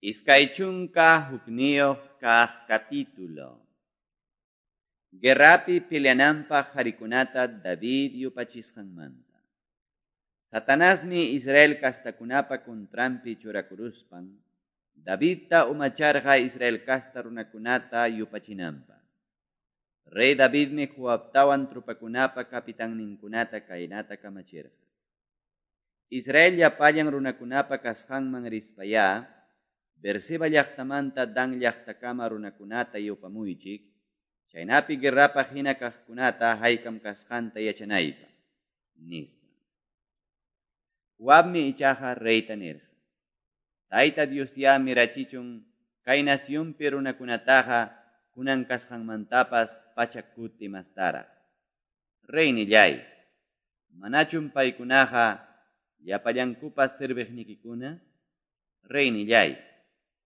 21 kaq capítulo. Guerrapi peleananpaq qarikunata David yupachisqanmanta. Satanasmi Israel castakunapa contranpi churakuruspan Davidta umacharqa Israel casta runakunata yupachinanpaq. Rey Davidmi Joabtawan tropakunapa capitanninkunata kaynata kamachirqa: Israel llapallan runakunapa kasqanman rispayá Beerseba llaqtamanta Dan llaqtakama runakunata yupamuychik, chaynapi guerrapaq hina kaqkunata haykam kasqanta yachanaypaq, nispa. Joabmi ichaqa reyta nirqa: Tayta Diosyá mirachichun kay nacionpi runakunataqa kunan kasqanmantapas 100 kuti mastaraq. Reynilláy, manachum paykunaqa llapallankupas serviqnikikuna? Reynilláy,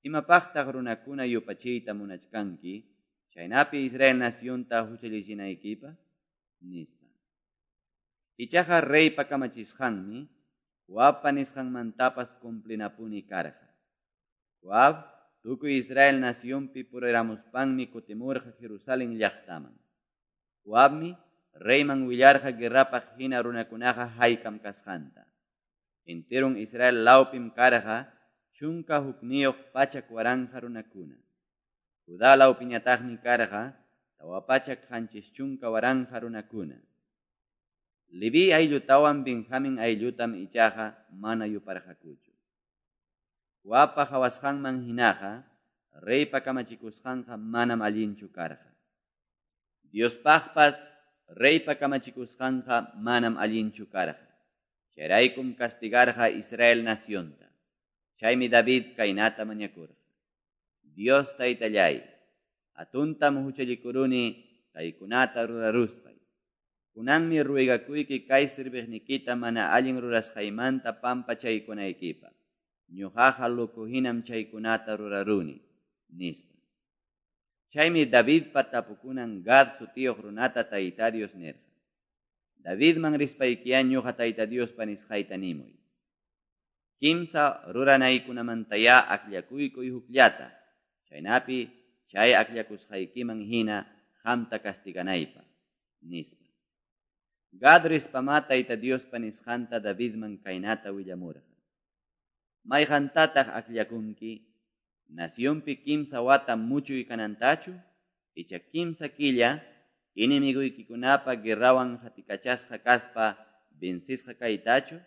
imapaqtaq runakuna yupachiyta munachkanki, chaynapi Israel nacionta huchallichinaykipaq? Nispa. Ichaqa reypa kamachisqanmi Joabpa nisqanmantapas cumplinapuni karqa. Joab tukuy Israel nacionpi puriramuspanmi kutimurqa Jerusalén llaqtaman. Joabmi reyman willarqa guerrapaq hina runakunaqa haykam kasqanta. Enteron Israel lawpim karqa 11 100,000 runakuna. Judá lawpiñataqmi karqa 470,000 runakuna. Leví ayllutawan Benjamín ayllutam ichaqa mana yuparqakuchu. Joabpa qawasqanman hinaqa reypa kamachikusqanqa manam allinchu karqa. Diospaqpas reypa kamachikusqanqa manam allinchu karqa. Chayraykum castigarqa Israel nacionta. Chaymi David kaynata mañakurqa: Dios Taytalláy, hatuntam huchallikuruni kaykunata ruraruspay. Kunanmi ruegakuyki kay serviqnikita mana allin rurasqaymanta pampachaykunaykipaq. Ñuqaqa loco hinam chaykunata ruraruni, nispa. Chaymi Davidpa tapukunan Gad sutiyuq runata Tayta Dios nirqa: Davidman rispaykiyá ñuqa Tayta Diospa nisqayta nimuy. Kimsa ruranaykunamantayá akllakuykuy hukllata, chaynapi chay akllakusqaykiman hina qamta castiganaypaq, nispa. Gad rispamá Tayta Diospa nisqanta Davidman kaynata willamurqa: Mayqantataq akllakunki? Nacionpi 3 wata muchuy kanantachu, icha 3 killa enemigoykikunapa guerrawan qatikachasqa kaspa vencisqa kaytachu,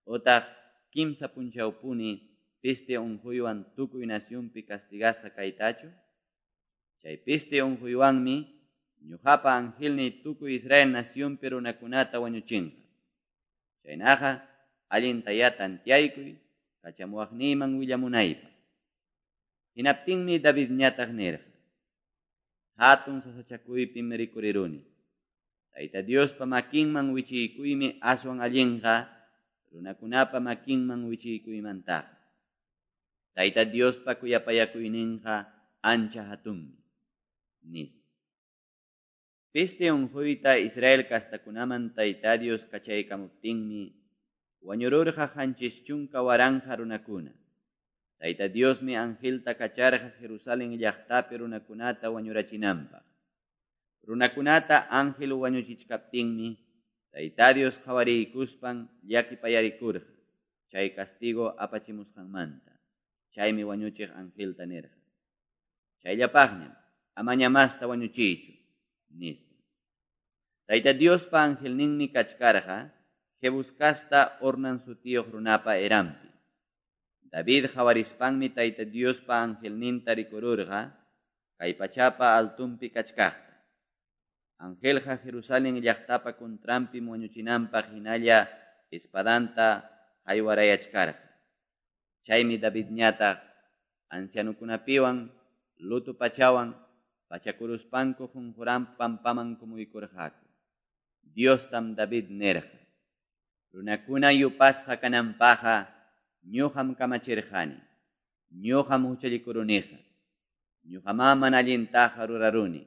otaq 3 punchawpuni peste unquywan tukuy nacionpi castigasqa kaytachu? Chay peste unquywanmi ñuqapa angelniy tukuy Israel nacionpi runakunata wañuchinqa. Chaynaqa allintayá tanteaykuy kachamuwaqniyman willamunaypaq. Hinaptinmi Davidñataq nirqa: Hatun sasachakuypim rikuriruni. Tayta Diospa makinman wichiykuymi aswan allinqa runakunapa makinman wichiykuymantaqa. Tayta Diospa kuyapayakuyninqa ancha hatunmi, nispa. Peste unquyta Israel castakunaman Tayta Dios kachaykamuptinmi wañururqa 70,000 runakuna. Tayta Diosmi angelta kacharqa Jerusalén llaqtapi runakunata wañurachinanpaq. Runakunata ángel wañuchichkaptinmi Tayta Dios qawariykuspan llakipayarikurqa chay castigo apachimusqanmanta. Chaymi wañuchiq angelta nirqa: Chayllapaqñam, amaña masta wañuchiychu, nispa. Tayta Diospa angelninmi kachkarqa Jebus casta Ornan sutiyuq runapa eranpi. David qawarispanmi Tayta Diospa angelninta rikururqa kay pachapa altunpi kachkaqta. Angelqa Jerusalén llaqtapa contranpi wañuchinanpaq hinalla espadanta haywarayachkarqa. Chaymi Davidñataq ancianukunapiwan luto pachawan pachakuruspanku qunquran pampaman kumuykurqaku. Diostam David nirqa: Runakuna yupasqa kananpaqqa ñuqam kamachirqani. Ñuqam huchallikuruniqa. Ñuqamá mana allintaqa ruraruni.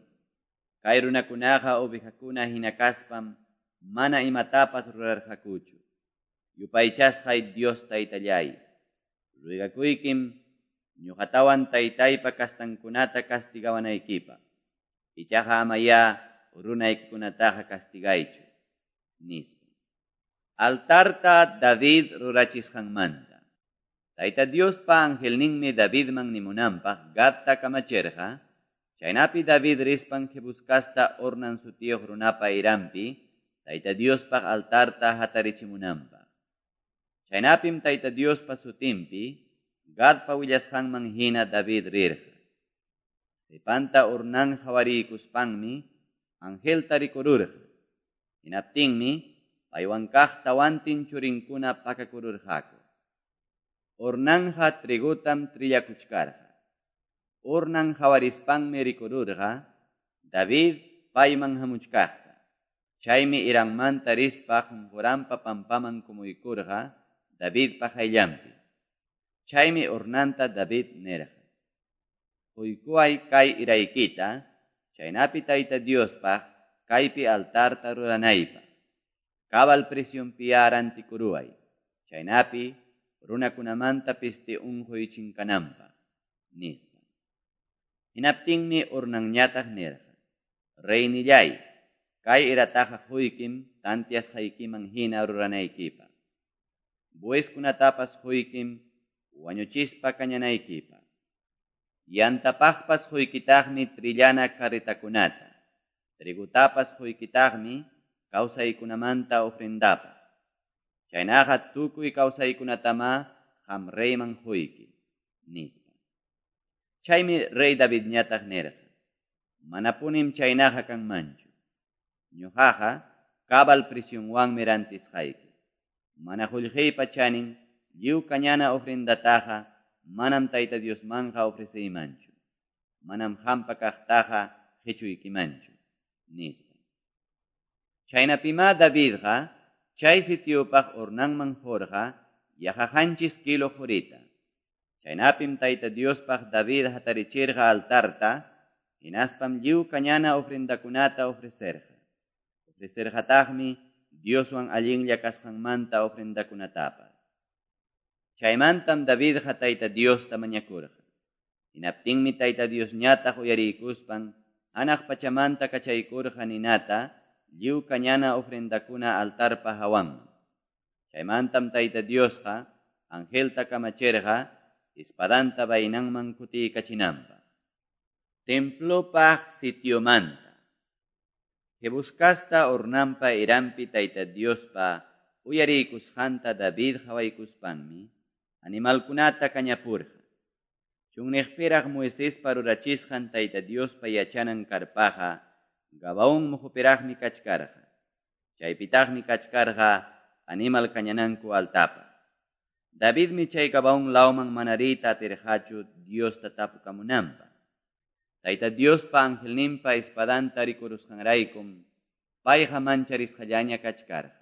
Kay runakunaqa ovejakuna hina kaspam mana imatapas rurarqakuchu. Yupaychasqay Dios Taytalláy, ruegakuykim ñoqatawan taytaypa castankunata castigawanaykipaq, ichaqa amayá runaykikunataqa castigaychu, nispa. Altarta David rurachisqanmanta. Tayta Diospa angelninmi Davidman nimunanpaq Gadta kamachirqa, chaynapi David rispan Jebús casta Ornan sutiyuq runapa eranpi Tayta Diospaq altarta hatarichimunanpaq. Chaynapim Tayta Diospa sutinpi Gadpa willasqanman hina David rirqa. Qepanta Ornán qawariykuspanmi angelta rikururqa. Hinaptinmi paywan kaq tawantin churinkuna pakakururqaku. Ornanqa trigotam trillakuchkarqa. Ornan qawarispanmi rikururqa David payman hamuchkaqta. Chaymi eranmanta rispa qonqoranpa pampaman kumuykurqa Davidpa qayllanpi. Chaymi Ornanta David nirqa: Qoykuway kay eraykita, chaynapi Tayta Diospaq kaypi altarta ruranaypaq. Cabal precionpiyá rantikuruway, chaynapi runakunamanta peste onqoy chinkananpaq, nispa. Hinaptinmi Ornanñataq nirqa: Reynilláy, kay erataqa qoykim tanteasqaykiman hina ruranaykipaq. Bueykunatapas qoykim wañuchispa kañanaykipaq. Yantapaqpas qoykitaqmi trillana carretakunata. Trigotapas qoykitaqmi kawsaykunamanta ofrendapaq. Chaynaqa tukuy kawsaykunatamá qam reyman qoyki, nispa. Chaymi rey Davidñataq nirqa: Manapunim chaynaqa kanmanchu. Ñoqaqa cabal precionwanmi rantisqayki. Mana qollqeypa chanin lliw kañana ofrendataqa manam Tayta Diosmanqa ofreceymanchu. Manam qampa kaqtaqa qechuykimanchu, nispa. Chaynapimá Davidqa chay sitiopaq Ornanman qorqa yaqa 7 kilo qorita. Chaynapim Tayta Diospaq David hatarichirqa altarta, hinaspam lliw kañana ofrendakunata ofrecerqa. Ofrecerqataqmi Dioswan allinlla kasqanmanta ofrendakunatapas. Chaymantam Davidqa Tayta Diosta mañakurqa. Hinaptinmi Tayta Diosñataq uyariykuspan hanaq pachamanta kachaykurqa ninata lliw kañana ofrendakuna altarpa hawanman. Chaymantam Tayta Diosqa angelta kamachirqa espadanta vainanman kutiykachinanpaq. Templopaq sitiomanta. Jebús casta Ornanpa eranpi Tayta Diospa uyariykusqanta David qawaykuspanmi animalkunata kañapurqa. Chunniqpiraq Moisespa rurachisqan Tayta Diospa yachanan karpaqa Gabaón moqopiraqmi kachkarqa. Chaypitaqmi kachkarqa animal kañananku altarpas. Davidmi chay Gabaón lawman mana riyta atirqachu Diosta tapukamunanpaq. Tayta Diospa angelninpa espadanta rikurusqanraykum payqa mancharisqallaña kachkarqa.